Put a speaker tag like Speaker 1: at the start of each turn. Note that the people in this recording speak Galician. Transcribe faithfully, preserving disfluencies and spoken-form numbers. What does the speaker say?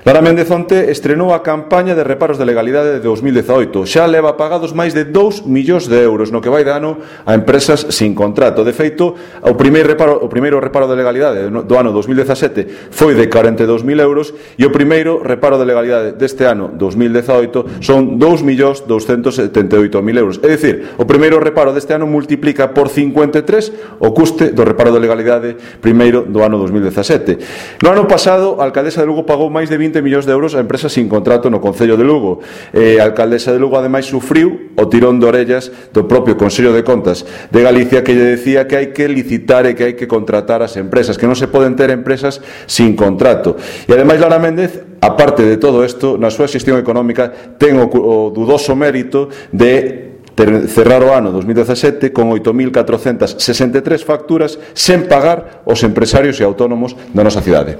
Speaker 1: Lara Méndez onte estrenou a campaña de reparos de legalidade de dous mil dezaoito. Xa leva pagados máis de dous millóns de euros no que vai de ano a empresas sin contrato. De feito, o primeiro reparo, o primeiro reparo de legalidade do ano dous mil dezasete foi de corenta e dous mil euros e o primeiro reparo de legalidade deste ano dous mil dezaoito son dous millóns douscentos setenta e oito mil euros. É dicir, o primeiro reparo deste ano multiplica por cincuenta e tres o custe do reparo de legalidade primeiro do ano dous mil dezasete. No ano pasado, a alcaldesa de Lugo pagou máis de vinte millóns de euros a empresas sin contrato no Concello de Lugo. Eh, a alcaldesa de Lugo ademais sufriu o tirón de orellas do propio Consello de Contas de Galicia, que lle decía que hai que licitar e que hai que contratar as empresas, que non se poden ter empresas sin contrato. E ademais Lara Méndez, aparte de todo isto, na súa xestión económica ten o, o dudoso mérito de cerrar o ano dous mil dezasete con oito mil catrocentas sesenta e tres facturas sen pagar aos empresarios e autónomos da nosa cidade.